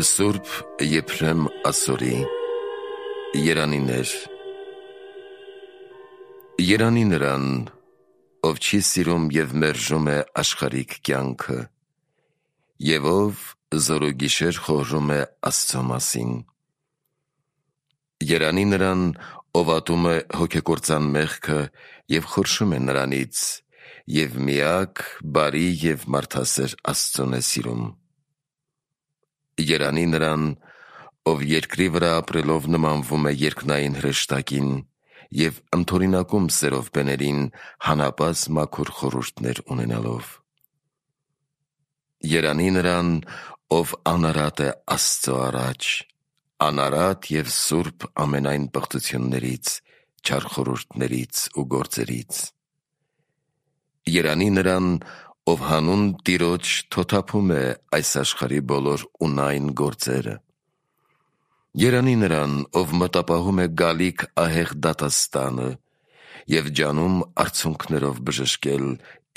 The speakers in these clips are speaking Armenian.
Սուրբ Եփրեմ Ասորի երանիներ Երանի նրան, ով չի սիրում և մերժում է աշխարհիկ կյանքը, և ով զորուգիշեր խորհում է Աստծո մասին։ Երանի նրան, ով ատում է հոգեկործան մեղքը և խորշում է նրանից, և միակ, բարի և մարդասեր Աստծուն է սիրում։ Երանի նրան, ով երկրի վրա ապրելով նմանվում է երկնային հրեշտակին և ընդօրինակում սերով բեներին հանապազ մաքուր խորհուրդներ ունենալով։ Երանի նրան, ով անարատ է Աստծո առաջ, անարատ և սուրբ ամենայն պղծություններից, չար խորհուրդներից ու գործերից։ Երանի նրան, ով հանուն Տիրոջ թոթափում է այս աշխարհի բոլոր ունայն գործերը։ Երանի նրան, ով մտապահում է գալիք ահեղ դատաստանը և ջանում արցունքներով բժշկել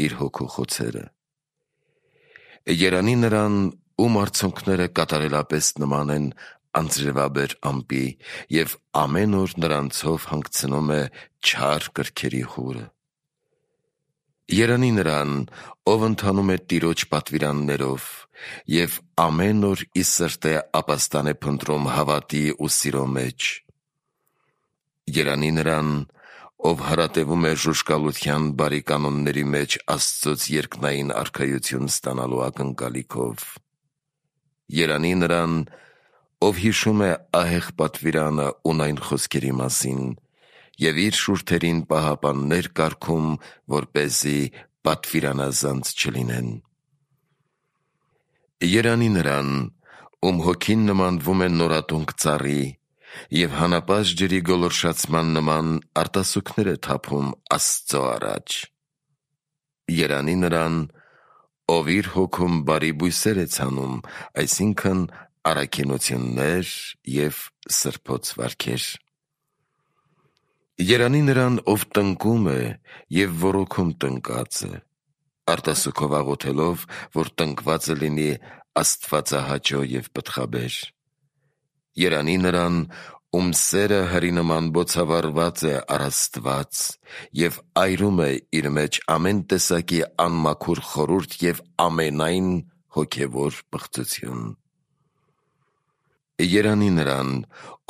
իր հոգու խոցերը։ Երանի նրան, ում արցունքները կատարելապես նման են անձրևաբեր ամպի և ամեն օր նրանցով հանգցնում է չար կրքերի հուրը։ Երանի նրան, ով ընթանում է Տիրոջ պատվիրաններով և ամեն օր ի սրտե ապաստան է փնտրում հավատի ու սիրո մեջ։ Երանի նրան, ով հարատևում է ժուժկալության բարի կանոնների մեջ Աստծոց երկնային արքայություն ստանալու ակնկալիքով։ Երանի նրան, ով հիշում է ահեղ պատվիրանը ունայն խոսքերի մասին և իր շուրթերին պահապաններ կարգում, որպեսզի պատվիրանազանց չլինեն։ Երանի նրան, ում հոգին նմանվում է նորատունկ ծառի և հանապազտ ջրի գոլորշացման նման արտասուքներ է թափում Աստծո առաջ։ Երանի նրան, ով իր հոգում բարի բույսեր է ցանում, այսինքն առաքինություններ և սրբոց վարքեր։ Երանի նրան, ով տնկում է և ոռոգում տնկածը, արտասուքով աղոթելով, որ տնկվածը լինի աստվածահաճո և պտղաբեր։ Երանի նրան, ում սերը հրի նման բոցավառված է առ Աստված և այրում է իր մեջ ամեն տեսակի անմաքուր խորհուրդ և ամենայն հոգևոր պղծություն։ Երանի նրան,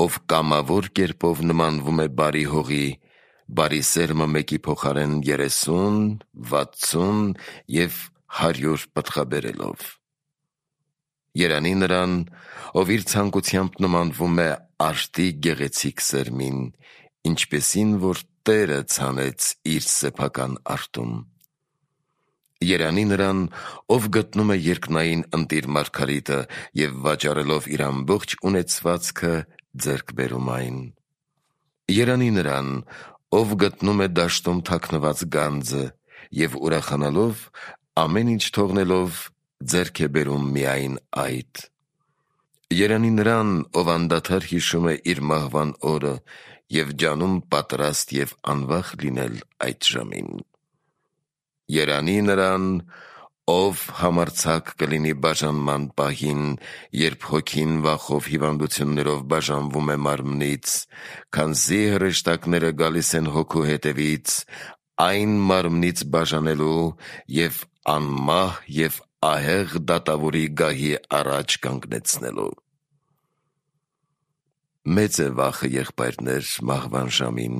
ով կամավոր կերպով նմանվում է բարի հողի, բարի սերմը մեկի փոխարեն 30, 60 և 100 պտղաբերելով։ Երանի նրան, ով իր ցանկությամբ նմանվում է արդի գեղեցիկ սերմին, ինչպիսին որ Տերը ցանեց իր սեփական արդում։ Երանի նրան, ով գտնում է երկնային ընտիր Մարգարիտը և վաճառելով իր ամբողջ ունեցվածքը ձեռք բերում այն։ Երանի նրան, ով գտնում է դաշտում թաքնված գանձը և ուրախանալով, ամեն ինչ թողնելով, ձեռք է բերում միայն այդ։ Երանի նրան, ով անդադար հիշում է իր մահվան օրը և ջանում պատրաստ և անվախ լինել այդ ժամին։ Երանի նրան, ով համարձակ կլինի բաժանման պահին, երբ հոգին վախով հիվանդություններով բաժանվում է մարմնից, քանզի հրեշտակները գալիս են հոգու հետևից, այն մարմնից բաժանելու և անմահ և ահեղ դատավորի գահի առաջ կանգնեցնելու։ Մեծ է վախը, եղբայրներ, մահվան ժամին,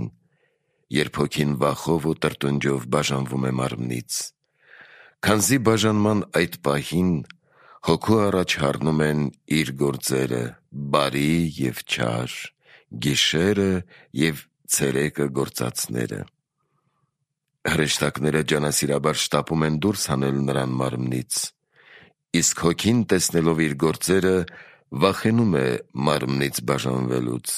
երբ հոգին վախով ու տրտունջով բաժանվում է մարմնից, քանզի բաժանման այդ պահին հոգու առաջ հառնում են իր գործերը, բարի և չար, գիշերը և ցերեկը գործածները։ Հրեշտակները ջանասիրաբար շտապում են դուրս հանել նրան մարմնից, իսկ հոգին տեսնելով իր գործերը վախենում է մարմնից բաժանվելուց։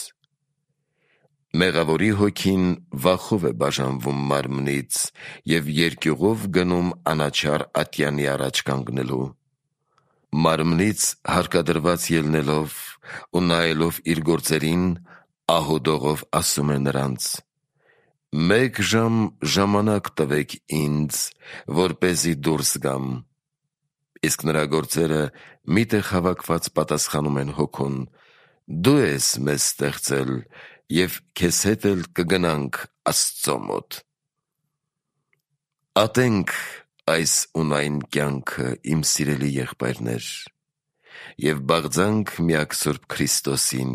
Մեղավորի հոգին վախով է բաժանվում մարմնից և երկյուղով գնում անաչառ ատյանի առաջ կանգնելու։ Մարմնից հարկադրված ելնելով ու նայելով իր գործերին, ահոդողով ասում է նրանց. «Մեկ ժամ ժամանակ տվեք ինձ, որպեսզի դուրս գամ»։ Իսկ նրա գործերը միտեղ հավաքված պատասխանում են հոգուն. «Դու ես մեզ ստեղծել, և քեզ հետ էլ կգնանք Աստծո մոտ»։ Ատենք այս ունայն կյանքը, իմ սիրելի եղբայրներ, և բաղձանք միակ Սուրբ Քրիստոսին,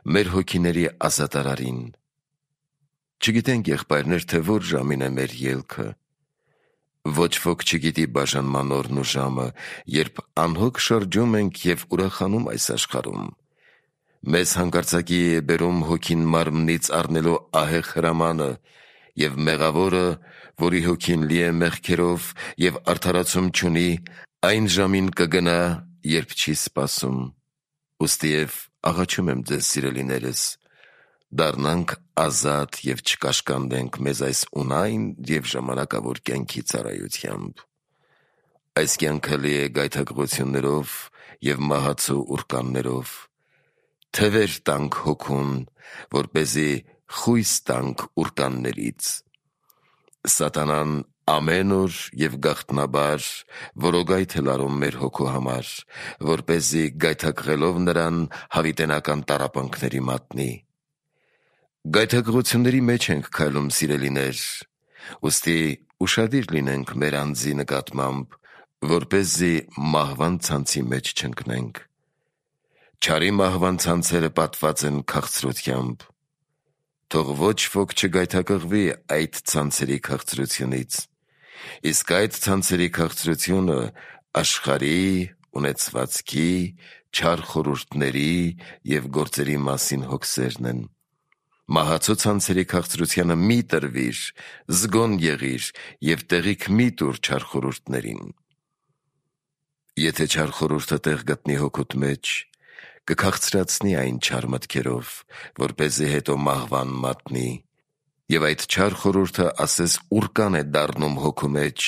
մեր հոգիների ազատարարին։ Չգիտենք, եղբայրներ, թե որ ժամին է մեր ելքը։ Ոչ ոք չգիտի բաժանման օրն ու ժամը, երբ անհոգ շրջում ենք և ուրախանում այս աշխարհում։ Մեզ հանկարծակի է բերում հոգին մարմնից առնելու ահեղ հրամանը, և մեղավորը, որի հոգին լի է մեղքերով և արդարացում չունի, այն ժամին կգնա, երբ չի սպասում։ Ուստի և աղաչում եմ ձեզ, սիրելիներս, դառնանք ազատ և չկաշկանդենք մեզ այս ունայն և ժամանակավոր կյանքի ծառայությամբ։ Այս կյանքը լի է գայթակղություններով և մահացու ուռկաններով։ Թևեր տանք հոգուն, որպեսզի խույս տանք ուռկաններից։ Սատանան ամեն օր և գաղտնաբար որոգայթ է լարում մեր հոգու համար, որպեսզի գայթակղելով նրան հավիտենական տառապանքների մատնի։ Գայթակղությունների մեջ ենք քայլում, սիրելիներ, ուստի ուշադիր լինենք մեր անձի նկատմամբ, որպեսզի մահվան ցանցի մեջ չընկնենք։ Չարի մահվան ցանցերը պատված են քաղցրությամբ։ Թող ոչ ոք չգայթակղվի այդ ցանցերի քաղցրությունից, իսկ այդ ցանցերի քաղցրությունը աշխարհի, ունեցվածքի, չար խորհուրդների և գործերի մասին հոգսերն են։ Մահացու ցանցերի քաղցրությանը մի տրվիր, զգոն եղիր և տեղիք մի տուր չար խորհուրդներին։ Եթե չար խորհուրդը տեղ գտնի հոգուտ մեջ, կքաղցրացնի այն չար մտքերով, որպեսզի հետո մահվան մատնի, և այդ չար խորհուրդը ասես ուռկան է դառնում հոգու մեջ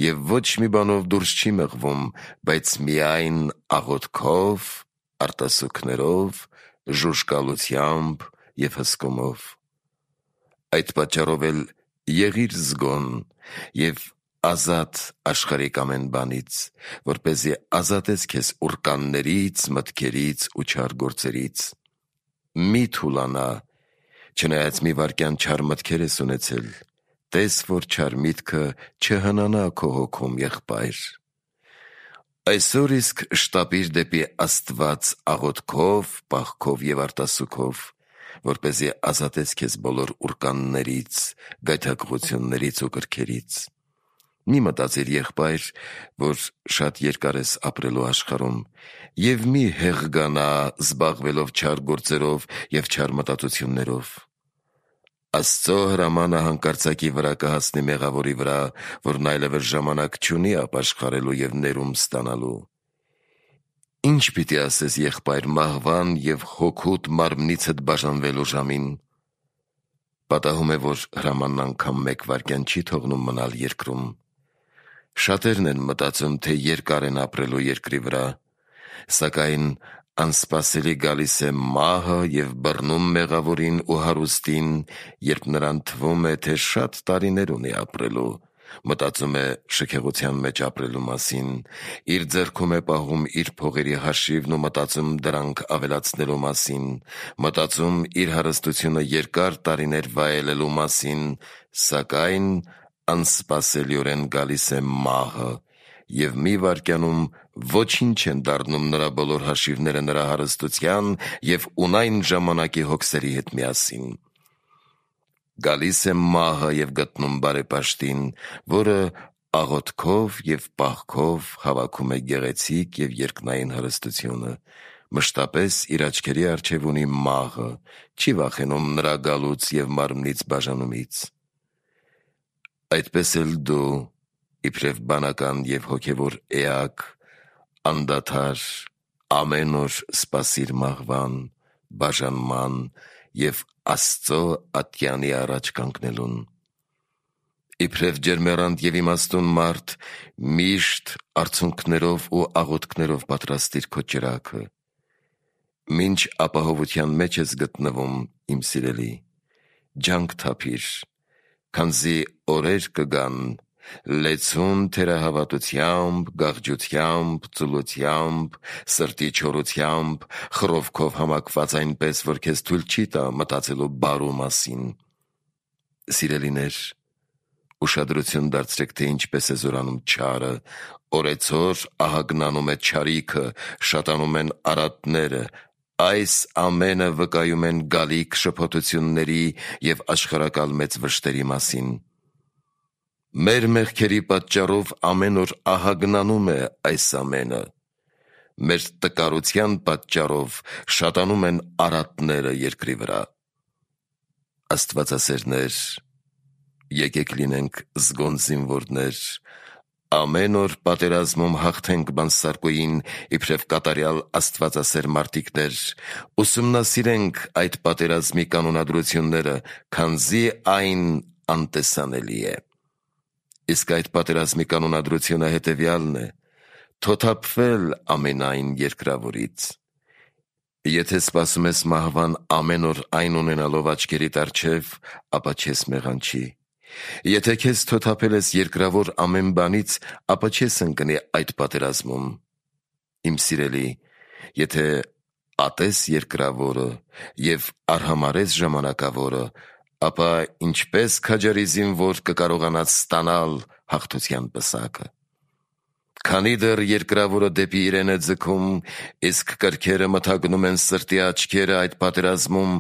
և ոչ մի բանով դուրս չի մղվում, բայց միայն աղոթքով, արտասուքներով, ժուժկալությամբ և հսկումով։ Այդ պատճառով էլ եղիր զգոն և ազատ աշխարհիկ ամեն բանից, որպեսզի ազատես քեզ ուռկաններից, մտքերից ու չար գործերից։ Մի թուլանա, չնայած մի վայրկյան չար մտքեր ես ունեցել, տես, որ չար միտքը չհնանա քո հոգում, եղբայր։ Այսօր իսկ շտապիր դեպի Աստված աղոթքով, պաղքով և արտասուքով, որպեսզի ազատես քեզ բոլոր ուռկաններից, գայթակղություններից ու կրքերից։ Մի մտածիր, եղբայր, որ շատ երկար ես ապրելու աշխարհում, և մի հեղգանա զբաղվելով չար գործերով և չար մտածություններով։ Աստծո հրամանը հանկարծակի վրա կհասնի մեղավորի վրա, որն այլևս ժամանակ չունի ապաշխարելու և ներում ստանալու։ Ինչ պիտի ասես, եղբայր, մահվան և հոգուտ մարմնիցդ բաժանվելու ժամին։ Պատահում է, որ հրամանն անգամ մեկ վայրկյան չի թողնում մնալ երկրում։ Շատերն են մտածում, թե երկար են ապրելու երկրի վրա, սակայն անսպասելի գալիս է մահը և բռնում մեղավորին ու հարուստին, երբ նրան թվում է, թե շատ տարիներ ունի ապրելու, մտածում է շքեղության մեջ ապրելու մասին, իր ձեռքում է պահում իր փողերի հաշիվն ու մտածում դրանք ավելացնելու մասին, մտածում իր հարստությունը երկար տարիներ վայելելու մասին, սակայն անսպասելիորեն գալիս է մահը, և մի վայրկյանում ոչինչ են դառնում նրա բոլոր հաշիվները նրա հարստության և ունայն ժամանակի հոգսերի հետ միասին։ Գալիս է մահը և գտնում բարեպաշտին, որը աղոթքով և պաղքով հավաքում է գեղեցիկ և երկնային հարստությունը, մշտապես իր աչքերի առջև ունի մահը, չի վախենում նրա գալուց և մարմնից բաժանումից։ Այդպես էլ դու, իբրև բանական և հոգևոր էակ, անդադար ամեն օր սպասիր մահվան, բաժանման և Աստծո ատյանի առաջ կանգնելուն։ Իբրև ջերմեռանդ և իմաստուն մարդ, միշտ արցունքներով ու աղոթքներով պատրաստիր քո ճրագը։ Մինչ ապահովության մեջ ես գտնվում, իմ սիրելի, ջանք թափիր, քանզի օրեր կգան, լեցուն թերահավատությամբ, գաղջությամբ, ծուլությամբ, սրտի չորությամբ, խռովքով համակված այնպես, որ քեզ թույլ չի տա մտածելու բարու մասին։ Սիրելիներ, ուշադրություն դարձրեք, թե ինչպես է զորանում չարը, օրեցօր ահագնանում է չարիքը, շատանում են արատները, այս ամենը վկայում են գալիք շփոթությունների և աշխարհակալ մեծ վշտերի մասին։ Մեր մեղքերի պատճառով ամեն օր ահագնանում է այս ամենը։ Մեր տկարության պատճառով շատանում են արատները երկրի վրա։ Աստվածասերներ, եկեք լինենք զգոն զինվորներ, ամեն օր պատերազմում հաղթենք բանսարկուին իբրև կատարյալ աստվածասեր մարդիկներ, ուսումնասիրենք այդ պատերազմի կանոնադրությունները, քանզի այն անտեսանելի է։ Իսկ այդ պատերազմի կանոնադրությունը հետևյալն է. թոթափվել ամենայն երկրավորից։ Եթե սպասում ես մահվան ամեն օր այն ունենալով աչքերիդ առջև, ապա չես մեղանչի։ Եթե քեզ թոթափել ես երկրավոր ամեն բանից, ապա չես ընկնի այդ պատերազմում։ Իմ սիրելի, եթե ատես երկրավորը և արհամարես ժամանակավորը, ապա ինչպես քաջարի զինվոր կկարողանաս ստանալ հաղթության պսակը։ Քանի դեռ երկրավորը դեպի իրեն է ձգում, իսկ կրքերը մթագնում են սրտի աչքերը այդ պատերազմում,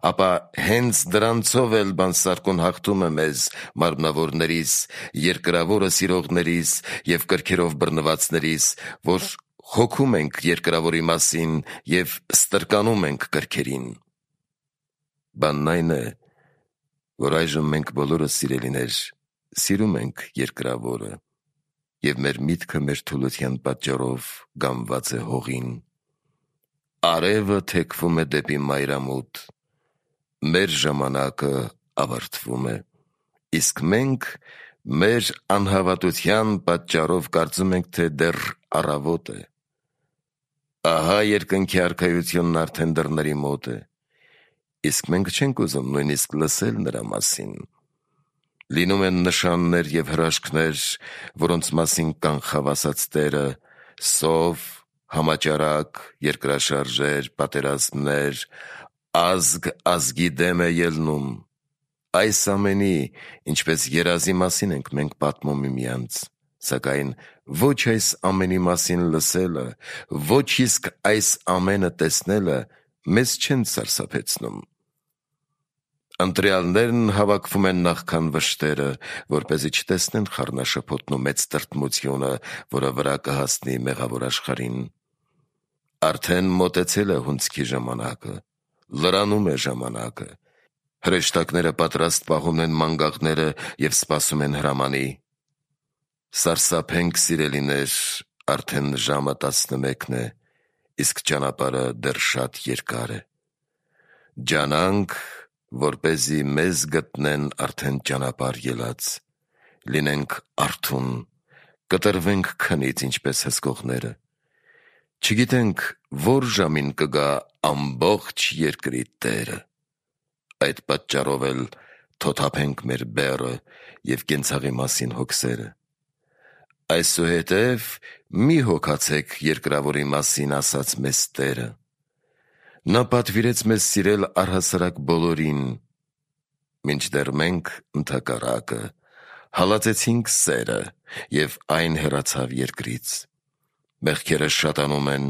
ապա հենց դրանցով էլ բանսարկուն հաղթում է մեզ մարմնավորներիս, երկրավորը սիրողներիս և կրքերով բռնվածներիս, որ հոգում ենք երկրավորի մասին և ստրկանում ենք կրքերին։ Բանն այն է, որ այժմ մենք բոլորս, սիրելիներ, սիրում ենք երկրավորը, և մեր միտքը մեր թուլության պատճառով գամված է հողին։ Արևը թեքվում է դեպի մայրամուտ, մեր ժամանակը ավարտվում է, իսկ մենք մեր անհավատության պատճառով կարծում ենք, թե դեռ առավոտ է։ Ահա երկնքի արքայությունն արդեն դռների մոտ է, իսկ մենք չենք ուզում նույնիսկ լսել նրա մասին։ Լինում են նշաններ և հրաշքներ, որոնց մասին կանխավ ասաց Տերը, սով, համաճարակ, երկրաշարժեր, պատերազմներ, ազգ ազգի դեմ է ելնում։ Այս ամենի, ինչպես երազի մասին ենք մենք պատմում միմյանց, սակայն ոչ այս ամենի մասին լսելը, ոչ իսկ այս ամենը տեսնելը մեզ չեն սարսափեցնում։ Ընտրյալներն հավաքվում են նախքան վշտերը, որպեսզի չտեսնեն խառնաշփոթն ու մեծ տրտմությունը, որը վրա կհասնի մեղավոր աշխարհին։ Արդեն մոտեցել է հունձքի ժամանակը, լրանում է ժամանակը։ Հրեշտակները պատրաստ պահում են մանգաղները և սպասում են հրամանի։ Սարսափենք, սիրելիներ, արդեն ժամը 11 է, իսկ ճանապարհը դեռ շատ երկար է։ Ջանանք, որպեսզի մեզ գտնեն արդեն ճանապարհ ելած, լինենք արթուն, կտրվենք քնից, ինչպես հսկողները։ Չգիտենք որ ժամին կգա ամբողջ երկրի Տերը։ Այդ պատճառով էլ թոթափենք մեր բեռը և կենցաղի մասին հոգսերը։ Այսուհետև մի հոգացեք երկրավորի մասին, ասաց մեզ Տերը։ Նա պատվիրեց մեզ սիրել առհասարակ բոլորին, մինչդեռ մենք ընդհակառակը հալածեցինք սերը, և այն հեռացավ երկրից։ Մեղքերը շատանում են,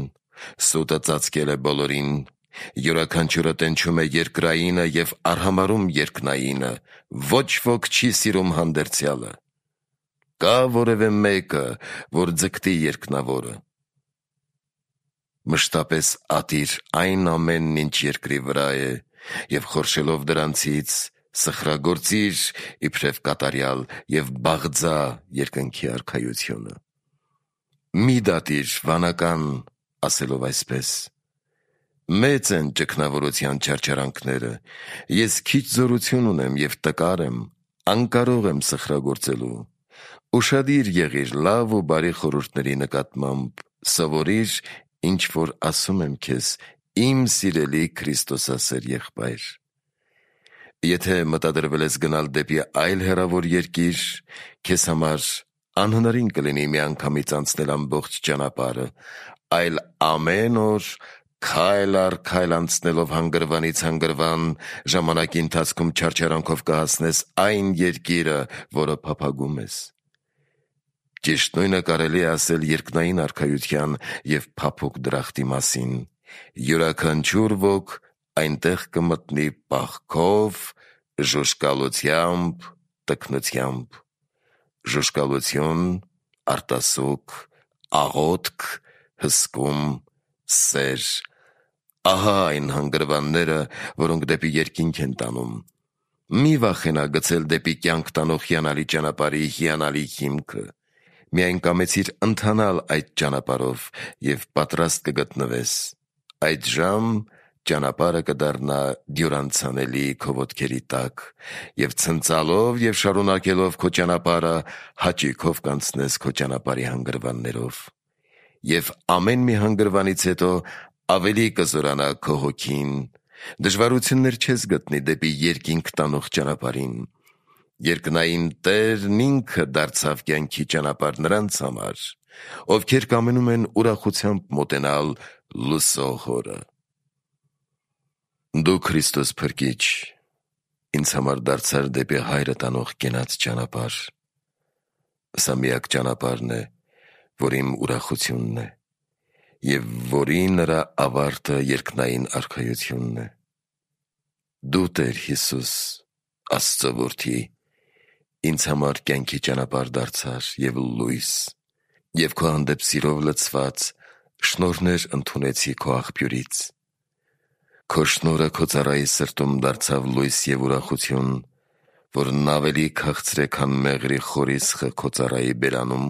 սուտը ծածկել է բոլորին, յուրաքանչյուրը տենչում է երկրայինը և արհամարհում երկնայինը, ոչ ոք չի սիրում հանդերձյալը։ Կա որևէ մեկը, որ ձգտի երկնավորը։ Մշտապես ատիր այն ամենն, ինչ երկրի վրա է, և խորշելով դրանցից սխրագործիր իբրև կատարյալ և բաղձա երկնքի արքայությունը։ Մի դատիր վանական, ասելով այսպես. մեծ են ճգնավորության չարչարանքները, ես քիչ զորություն ունեմ և տկար եմ, անկարող եմ սխրագործելու։ Ուշադիր եղիր լավ ու բարի խորհուրդների նկատմամբ, սովորիր, ինչ որ ասում եմ քեզ, իմ սիրելի քրիստոսասեր եղբայր։ Եթե մտադրվել ես գնալ դեպի այլ հեռավոր երկիր, քեզ համար անհնարին կլինի միանգամից անցնել ամբողջ ճանապարհը, այլ ամեն օր քայլ առ քայլ անցնելով հանգրվանից հանգրվան, ժամանակի ընթացքում չարչարանքով կհասնես այն երկիրը, որը փափագում ես։ Ճիշտ նույնը կարելի է ասել երկնային արքայության և փափուկ դրախտի մասին։ Յուրաքանչյուր ոք այնտեղ կմտնի պաղքով, ժուժկալությամբ, տքնությամբ։ Ժուժկալություն, արտասուք, աղոթք, հսկում, սեր։ Ահա այն հանգրվանները, որոնք դեպի երկինք են տանում։ Մի վախենա գցել դեպի կյանք տանող հիանալի ճանապարհի հիանալի հիմքը։ Միայն կամեցիր ընթանալ այդ ճանապարհով և պատրաստ կգտնվես։ Այդժամ ճանապարհը կդառնա դյուրանցանելի քո ոտքերի տակ, և ցնծալով և շարունակելով քո ճանապարհը հաճույքով կանցնես քո ճանապարհի հանգրվաններով։ Եվ ամեն մի հանգրվանից հետո ավելի կզորանա քո հոգին, դժվարություններ չես գտնի դեպի երկինք տանող ճանապարհին։ Երկնային Տերն ինքը դարձավ կյանքի ճանապարհ նրանց համար, ովքեր կամենում են ուրախությամբ մոտենալ լույսող Հորը։ Դու Քրիստոս փրկիչ, ինձ համար դարձար դեպի Հայրը տանող կենաց ճանապարհ։ Սա միակ ճանապարհն է, որ իմ ուրախությունն է, և որի նրա ավարտը երկնային արքայությունն է։ Դու, Տեր Հիսուս, Աստծո Որդի, ինձ համար կյանքի ճանապարհ դարձար և լույս, և քո հանդեպ սիրով լցված շնորհներ ընդունեցի քո աղբյուրից։ Քո շնորհը քո ծառայի սրտում դարձավ լույս և ուրախություն, որն ավելի քաղցր է, քան մեղրի խորիսխը քո ծառայի բերանում։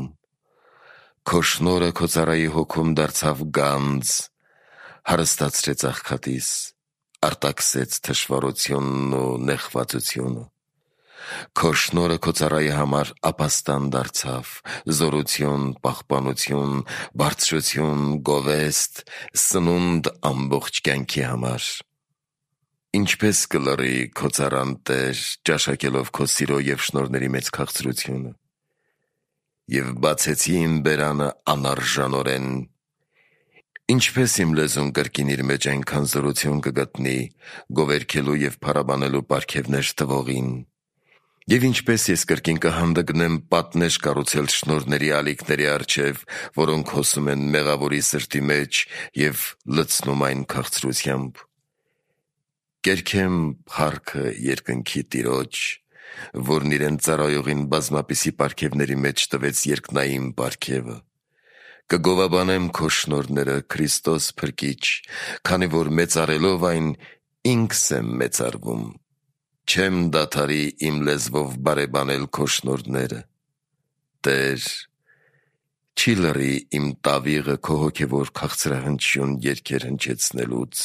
Քո շնորհը քո ծառայի հոգում դարձավ գանձ, հարստացրեց աղքատիս, արտաքսեց թշվառությունն ու նեղվածությունը։ Քո շնորհը քո ծառայի համար ապաստան դարձավ, զորություն, պահպանություն, բարձրություն, գովեստ, սնունդ ամբողջ կյանքի համար։ Ինչպե՞ս կլռի քո ծառան, Տեր, ճաշակելով քո սիրո և շնորհների մեծ քաղցրությունը։ Եվ բացեցի իմ բերանը անարժանորեն։ Ինչպե՞ս իմ լեզուն կրկին իր մեջ այնքան զորություն կգտնի, գովերգելու և փառաբանելու պարգևներ տվողին։ Եվ ինչպե՞ս ես կրկին կհանդգնեմ պատնեշ կառուցել շնորհների ալիքների առջև, որոնք հոսում են մեղավորի սրտի մեջ և լցնում այն քաղցրությամբ։ Կերքեմ փառքը երկնքի Տիրոջ, որն իրեն ծառայողին բազմապիսի պարգևների մեջ տվեց երկնային պարգևը։ Կգովաբանեմ քո շնորհները, Քրիստոս փրկիչ, քանի որ մեծարելով այն, ինքս եմ մեծարվում։ Չեմ դադարի իմ լեզվով բարեբանել քո շնորհները։ Տեր, չի լռի իմ տավիղը քո հոգևոր քաղցրահնչյուն երգեր հնչեցնելուց։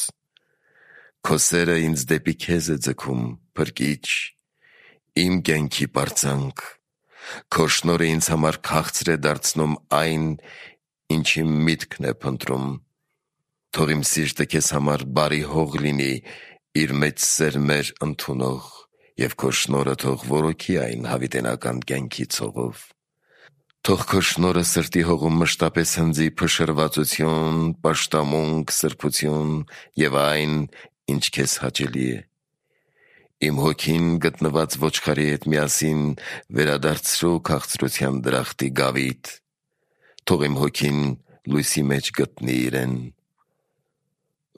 Քո սերը ինձ դեպի քեզ է ձգում, Փրկիչ, իմ կյանքի պարծանք։ Քո շնորհը ինձ համար քաղցր է դարձնում այն, ինչ իմ միտքն է փնտրում։ Թող իմ սիրտը քեզ համար բարի հող լինի, իր մեջ սերմեր ընդունող, և քո շնորհը թող որոքի այն հավիտենական կյանքի ցողով։ Թող քո շնորհը սրտի հողում մշտապես հնձի փշրվածություն, պաշտամունք, սրբություն և այն, ինչ քեզ հաճելի է։ Իմ հոգին գտնված ոչխարի հետ միասին վերադարձրու քաղցրության դրախտի գավիթ։ Թող իմ հոգին լույսի մեջ գտնի իրեն։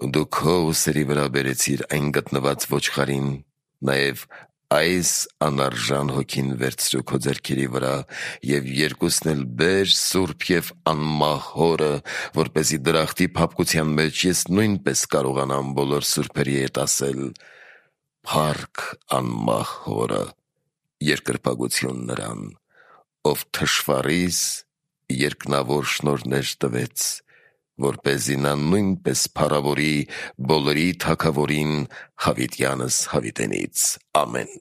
Դու քո ուսերի վրա բերեցիր այն գտնված ոչխարին, նաև այս անարժան հոգին վերցրու քո ձեռքերի վրա և երկուսն էլ բեր սուրբ և անմահ Հորը, որպեսզի դրախտի փափկության մեջ ես նույնպես կարողանամ բոլոր սուրբերի հետ ասել. «Փառք անմահ Հորը, երկրպագություն նրան, ով թշվառիս երկնավոր շնորհներ տվեց, որպեսզի նա նույնպես փառավորի բոլորի Թագավորին հավիտյանս հավիտենից։ Ամեն»։